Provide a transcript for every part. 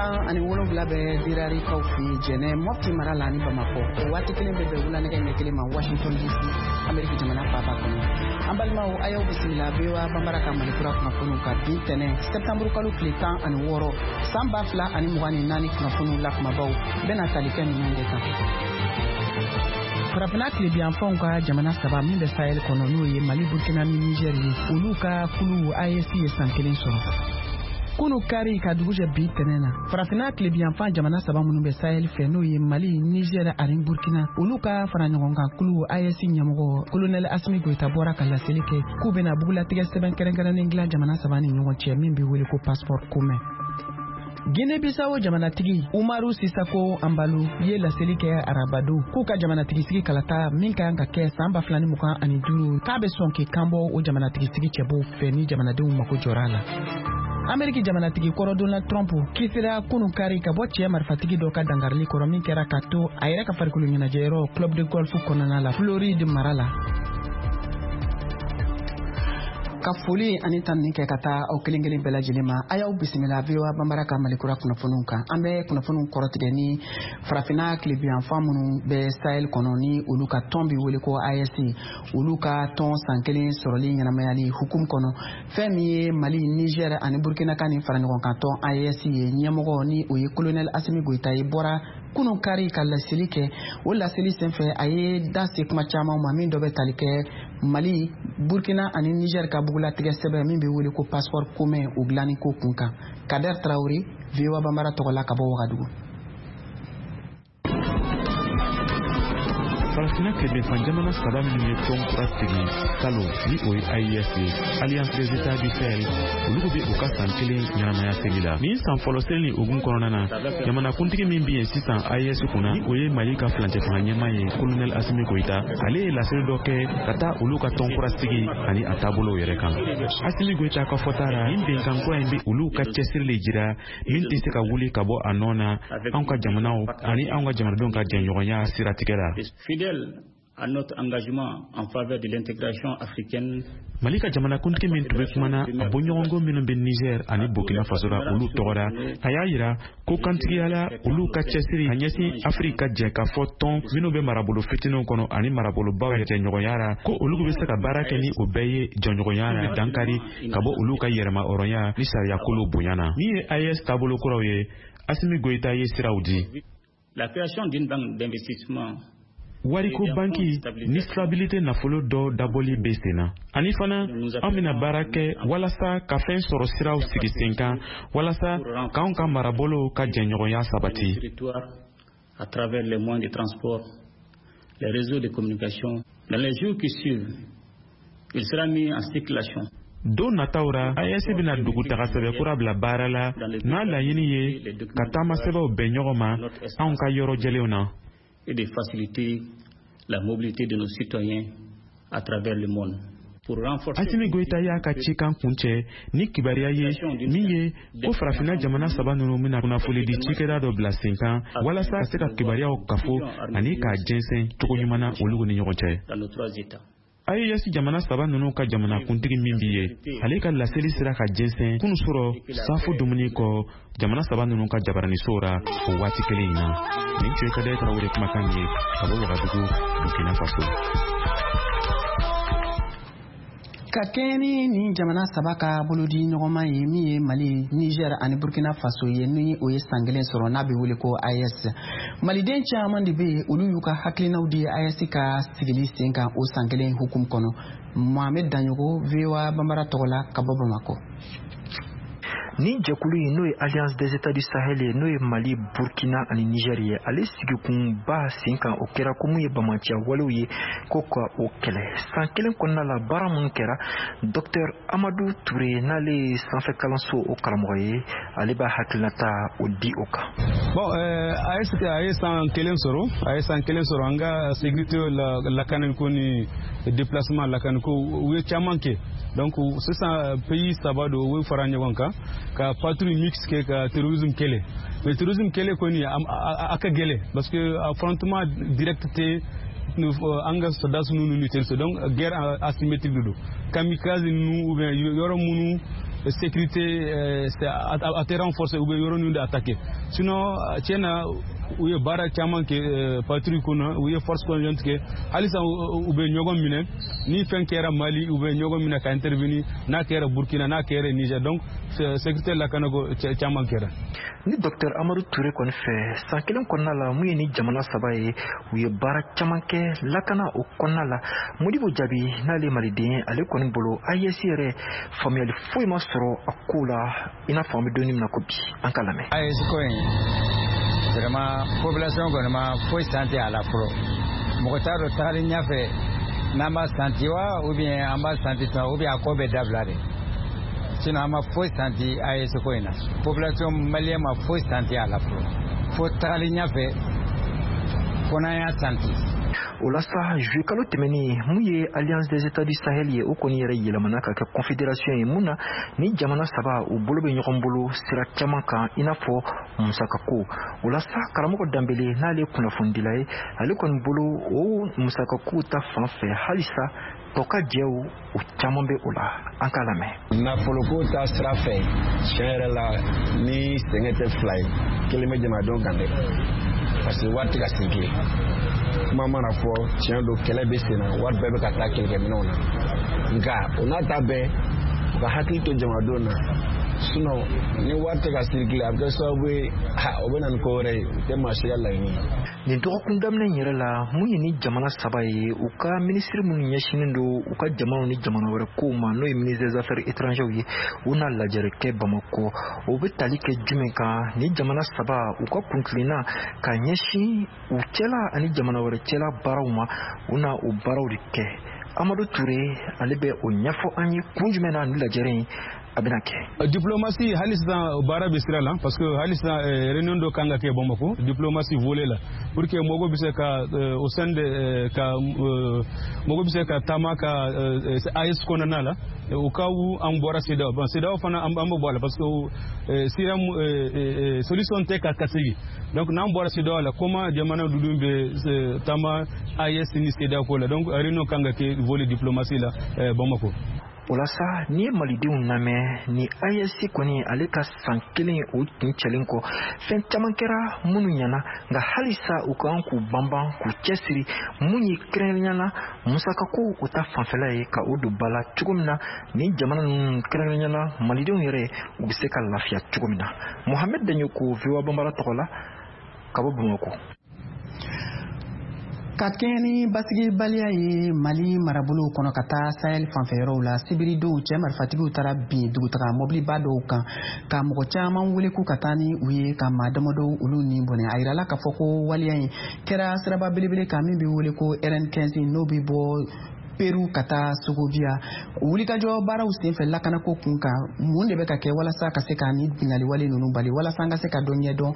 17 bɛ Dirarikaw fɛ yen Jɛnɛ, Mɔpti mara la ani Bamakɔ. O waati kelen bɛ bɛn wula nɛgɛ ɲɛ 1 ma Washington DC, Ameriki jamana faaba kɔnɔ. An balimaw, a y'aw bisimila VOA Banbara ka Malikura kunnafoniw kan bi tɛnɛ sɛptanburu kalo tile 16 san 2024. Kunnafoniw la kumabaw bɛna tali kɛ ninnu de kan. Farafinna tilebiyanfanw ka jamana saba min bɛ Sahel kɔnɔ, n'o ye Mali, Burkina ni Niger ye, olu ka kulu AES ye san 1 sɔrɔ kunu kari ka dugu jɛ bi tɛnɛ na. Farafinna tilebiyanfan jamana saba minnu bɛ Sahel fɛ, n'o ye Mali, Niger ani Burkina, olu ka fara ɲɔgɔn kan kulu AES ɲɛmɔgɔ Kolonɛli Asimi Goyita bɔra ka laseli kɛ k'u bɛna bugulatigɛ sɛbɛn kɛrɛnkɛrɛnnen dilan jamana saba ni ɲɔgɔn cɛ min bɛ wele ko passeport commun. Guinée-Bissau jamanatigi Umaru Sisako Anbalo ye laseli kɛ arabado k'u ka jamanatigisigi kalata min ka kan ka kɛ san 2025, k'a bɛ sɔn k'i kanbɔ o jamanatigisigi cɛbɔw fɛ ni jamanadenw mako jɔra a la. Ameriki jamanatigi kɔrɔ Donald Trump kisira kunu kari ka bɔ cɛ marifatigi dɔ ka dangarili kɔrɔ min kɛra ka to a yɛrɛ ka farikolo ɲɛnajɛyɔrɔ club de golf kɔnɔna la, Floride mara la. Ka foli ani tanuni kɛ ka taa aw kelen kelen bɛɛ lajɛlen ma, a y'aw bisimila VOA Banbara ka Malikura kunnafoniw kan. An bɛ kunnafoniw kɔrɔtigɛ ni farafinna tilebiyanfan minnu bɛ Sahel kɔnɔ, ni olu ka tɔn bɛ wele ko AES, olu ka tɔn san 1 sɔrɔli ɲɛnamayali hukumu kɔnɔ. Fɛn min ye Mali, Niger ani Burkina ka nin fara ɲɔgɔn kan tɔn AES ye, ɲɛmɔgɔ ni o ye Colonel Asimi Goyita ye, bɔra kunu kari ka laseli kɛ. O laseli senfɛ, a ye da se kuma caman ma min dɔ bɛ tali kɛ Mali, Burkina ani Niger ka bugulatigɛ sɛbɛn min bɛ wele ko passeport commun, o dilanni ko kun kan. Kader Traoré, VOA Banbara tɔgɔ la ka bɔ Wagadugu. Farafinna tilebinfan jamana saba minnu ye tɔn kura sigi salon, ni o ye AES ye, Alliance des États du Sahel, olu bɛ u ka san 1 ɲɛnamaya seli la. Nin san fɔlɔ seli ni hukumu kɔnɔna na, jamanakuntigi min bɛ yen sisan AES kunna, ni o ye Mali ka furancɛ fanga ɲɛmaa ye, Colonel Asimi Goyita, ale ye laseli dɔ kɛ ka taa olu ka tɔn kura sigi ani a taabolow yɛrɛ kan. Asimi Goyita ka fɔta la, nin bɛnkan kura in bɛ olu ka cɛsiri le jira min tɛ se ka wuli ka bɔ a nɔ na anw ka jamanaw ani anw ka jamanadenw ka jɛɲɔgɔnya siratigɛ la. Fidèle à notre engagement en faveur de l'intégration africaine. Mali ka jamanakuntigi min tun bɛ kumana a bɔɲɔgɔnko minnu bɛ Niger ani Burkina Faso la, olu tɔgɔ la, a y'a yira ko kantigiya la olu ka cɛsiri ka ɲɛsin Afiriki ka jɛ ka fɔ tɔn minnu bɛ marabolo fitininw kɔnɔ ani marabolobaw jɛɲɔgɔnya la, ko olu bɛ se ka baara kɛ ni o bɛɛ ye jɔɲɔgɔnya la, dankari ka bɔ olu ka yɛrɛma hɔrɔnya ni sariyakolow bonya na. Min ye AES taabolo kuraw ye, Asimi Goyita ye siraw di. La création d'une banque d'investissement. Wariko banki ni stabilité nafolo dɔ dabɔli bɛ sen na, ani fana an bɛna baara kɛ walasa ka fɛn sɔrɔ siraw sigi sen kan walasa k'anw ka marabolo ka jɛɲɔgɔnya sabati. À travers les moyens de transport, les réseaux de communication. Dans les jours qui suivent, il sera mis en circulation. Don nataw ra, AES bɛna dugutaga sɛbɛn kura bila baara la n'a laɲini ye ka taama sɛbɛnw bɛn ɲɔgɔn ma anw ka yɔrɔ jɛlenw na. Et de faciliter la mobilité de nos citoyens à travers le monde. Pour renforcer. Asimi Goyita y'a ka cikan kuncɛ ni kibaruya ye min ye ko farafinna jamana saba ninnu bɛna kunnafoni di cikɛda dɔ bila sen kan walasa ka se ka kibaruyaw kafo ani k'a jɛnsɛn cogo ɲuman na olu ni ɲɔgɔn cɛ. Dans nos trois États. AES jamana saba ninnu ka jamanakuntigi min bi ye, ale ka laseli sera ka jɛnsɛn kunu sɔrɔ safo dumuni kɔ jamana saba ninnu ka jabaranisow ra o waati kelen in na. Nin tun ye Kadɛ Tarawele kumakan ye ka bɔ Wagadugu, Burkina Faso. Ka kɛɲɛ ni nin jamana saba ka bolodi ɲɔgɔnma ye min ye Mali, Niger ani Burkina Faso ye, ni o ye san 1 sɔrɔ n'a bɛ wele ko AES, maliden caman de bɛ yen, olu y'u ka hakilinaw di AES ka sigili sen kan o san 1 hukumu kɔnɔ. Mohamed Daɲogo, VOA Banbara tɔgɔ la ka bɔ Bamakɔ. Nin jɛkulu in, n'o ye Alliance des États du Sahel ye, n'o ye Mali, Burkina ani Niger ye, ale sigikunba sen kan, o kɛra ko mun ye bamaciya walew ye, ko ka o kɛlɛ. San 1 kɔnɔna la, baara minnu kɛra, Docteur Amadu Ture, n'ale ye sanfɛ kalanso o karamɔgɔ ye, ale b'a hakilinata o di o kan. Bon, AES a ye san 1 sɔrɔ, a ye san 1 sɔrɔ. An ka sécurité la, lakanani ni déplacement lakanani ko, u ye caman kɛ. Donc sisan pays saba don, u ye fara ɲɔgɔn kan ka patrouille mixte kɛ ka terrorisme kɛlɛ. Mais terrorisme kɛlɛ kɔni a ka gɛlɛn parce que affrontement direct tɛ an ka soldats ninnu ni terroristes. Donc guerre asymétrique de don, kamikaze ninnu ou bien yɔrɔ minnu Sécurité a tɛ renforcer, u bɛ yɔrɔ ninnu de attaquer. Sinon, tiɲɛ na, u ye baara caman kɛ patrouille kɔnɔ, u ye force conjointe kɛ. Halisa u bɛ ɲɔgɔn minɛ. Ni fɛn kɛra Mali, u bɛ ɲɔgɔn minɛ ka intervenir, n'a kɛra Burkina, n'a kɛra Niger. Donc sécurité, lakanako caman kɛra. Ni Dr Amadu Ture kɔni fɛ, san kelen kɔnɔna la, mun ye ni jamana saba ye, u ye baara caman kɛ lakana o kɔnɔna la. Modibo Jaabi, n'ale maliden, ale kɔni bolo, AES yɛrɛ, faamuyali foyi ma sɔrɔ a ko la, i n'a fɔ an bɛ don min na ko bi. An ka lamɛn. AES ko in, vraiment, population kɔni ma foyi santi a la fɔlɔ. Mɔgɔ t'a dɔn tagali ɲɛfɛ n'an b'a santi wa, ou bien an b'a santi tuma, ou bien a ko bɛ dabila de. Sinon an ma foyi santi AES ko in na. Population malienne ma foyi santi a la fɔlɔ, fo tagali ɲɛfɛ fo n'an y'a santi. O la sa, juillet kalo tɛmɛnen, mun ye Alliance des États du Sahel ye, o kɔni yɛrɛ yɛlɛmana ka kɛ confédération ye, mun na ni jamana saba u bolo bɛ ɲɔgɔn bolo sira caman kan, i n'a fɔ musakako. O la sa, karamɔgɔ Danbele, n'ale ye kunnafonidila ye, ale kɔni bolo, o musakako ta fan fɛ, halisa tɔ ka jɛw o caman bɛ o la. An k'a lamɛn. Nafoloko ta sira fɛ, tiɲɛ yɛrɛ la, ni sɛgɛn tɛ fila ye, kelen bɛ jamanadenw kan dɛ, parce que wari tɛ ka circuler. Kuma mana fɔ, tiɲɛ don, kɛlɛ bɛ sen na, wari bɛɛ bɛ ka taa kɛlɛkɛminɛnw na. Nka o n'a ta bɛɛ, u ka hakili to jamanadenw na. Sinon ni wari tɛ ka circuler, a bɛ kɛ sababu ye, o bɛ na ni ko wɛrɛ ye, o tɛ maa si ka laɲini ye. Nin dɔgɔkun daminɛ in yɛrɛ la, mun ye ni jamana saba ye, u ka minisiri minnu ɲɛsinnen don u ka jamanaw ni jamana wɛrɛ kow ma, n'o ye ministre des Affaires étrangères ye, u na lajɛrɛ kɛ Bamakɔ. O bɛ tali kɛ jumɛn kan? Ni jamana saba u ka kuntilenna ka ɲɛsin u cɛla ani jamana wɛrɛ cɛla baaraw ma, u na o baaraw de kɛ. Amadu Ture, ale bɛ o ɲɛfɔ an ye, kun jumɛn na ni lajɛrɛ in a bɛna kɛ. Diplomatie, hali sisan baara bɛ sira la, parce que hali sisan réunion dɔ kan ka kɛ Bamako, diplomatie volet la, pour que mɔgɔw bɛ se ka au sein de ka mɔgɔw bɛ se ka taama ka AES kɔnɔna la, au cas où an bɔra CEDEAO. Bon, CEDEAO fana, an bɛ bɔ a la, parce que sira solution tɛ ka segin. Donc n'an bɔra CEDEAO la, comment jamana ninnu bɛ taama AES ni CEDEAO ko la? Donc réunion kan ka kɛ volet diplomatie la Bamako. O la sa, n'i ye malidenw lamɛn, ni AES kɔni, ale ka san kelen o tun cɛlen kɔ, fɛn caman kɛra minnu ɲɛna, nka halisa u kan k'u banban k'u cɛsiri, mun ye kɛrɛnkɛrɛnnenya la musakako o ta fanfɛla ye, ka o don ba la cogo min na ni jamana ninnu, kɛrɛnkɛrɛnnenya la malidenw yɛrɛ, u bɛ se ka lafiya cogo min na. Mohamed Daɲoko, VOA Banbara tɔgɔ la, ka bɔ Bamakɔ. Ka kɛɲɛ ni basigibaliya ye Mali marabolow kɔnɔ ka taa Sahel fanfɛyɔrɔw la, sibiridon cɛ marifatigiw taara bin dugutaga mɔbiliba dɔw kan, ka mɔgɔ caman wele k'u ka taa ni u ye, ka maa damadɔw olu ni bɔnɛ. A yirala k'a fɔ ko waleya in kɛra siraba belebele kan min bɛ wele ko RN15, n'o bɛ bɔ Peru ka taa Sogobiya. Wulikajɔ baaraw senfɛ lakanako kun kan, mun de bɛ ka kɛ walasa ka se ka ni binkanni ninnu bali, walasa an ka se ka dɔ ɲɛdɔn?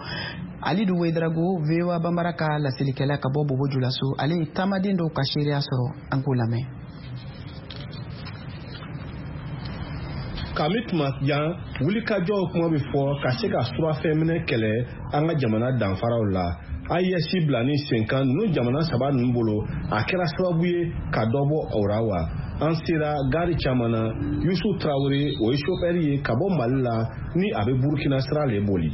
Alidu Wedrago, VOA Banbara ka laselikɛla ka bɔ Bobo Julaso, ale ye taamaden dɔw ka seereya sɔrɔ. An k'o lamɛn. Kami tuma jan, wulikajɔw kuma bɛ fɔ ka se ka surafɛnminɛ kɛlɛ an ka jamana danfaraw la. AES bila ni senkan ninnu jamana saba ninnu bolo, a kɛra sababu ye ka dɔ bɔ o ra wa? An sera gari caman na. Yusu Tarawele, o ye sofɛri ye ka bɔ Mali la, ni a bɛ Burukina sira le boli.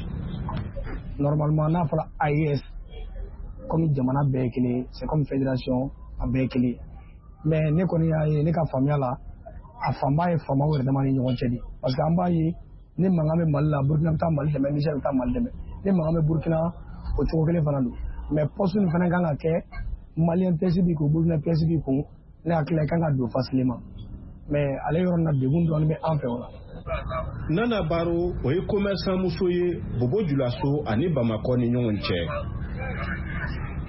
Normalement, n'a fɔra AES, comme jamana bɛɛ ye kelen, c'est comme fédération, a bɛɛ ye kelen. Mais ne kɔni y'a ye, ne ka faamuya la, a fanba ye faamaw yɛrɛ dama ni ɲɔgɔn cɛ de, parce que an b'a ye, ni mankan bɛ Mali la, Burukina bɛ taa Mali dɛmɛ, Niger bɛ taa Mali dɛmɛ. Ni mankan bɛ Burukina, o cogo kelen fana don. Mais poste nin fana kan ka kɛ, malien pièce b'i kun, Burukina pièce b'i kun, ne hakili la, i kan ka don facilement. Mais ale yɔrɔ nin na, degun dɔɔnin bɛ an fɛ o la. Nana Baro, o ye commerçant muso ye Bobo Julaso ani Bamakɔ ni ɲɔgɔn cɛ.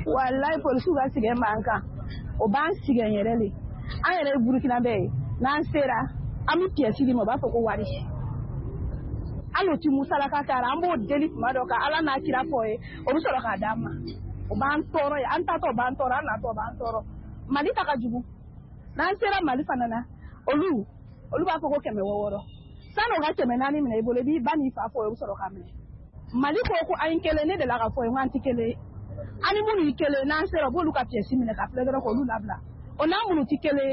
Walayi, polisiw ka sɛgɛn b'an kan, o b'an sɛgɛn yɛrɛ le. An yɛrɛ ye Burukina bɛɛ ye, n'an sera, an bɛ pièce di ma, u b'a fɔ ko wari. Hali o ti musalaka k'a la. An b'o deli tuma dɔ ka Ala n'a kira fɔ ye, o bɛ sɔrɔ k'a d'an ma. O b'an tɔɔrɔ ye, an tatɔ o b'an tɔɔrɔ, an natɔ o b'an tɔɔrɔ. Mali ta ka jugu. N'an sera Mali fana na, olu b'a fɔ ko 600. San'o ka 400 minɛ i bolo, i b'i ba n'i fa fɔ, o bɛ sɔrɔ k'a minɛ. Mali ko an ye kelen, ne delila ka fɔ ye ko an tɛ kelen ye. An ni minnu ye kelen, n'an sera, u b'olu ka pièce minɛ ka filɛ dɔrɔn k'olu labila. O n'a minnu tɛ kelen ye.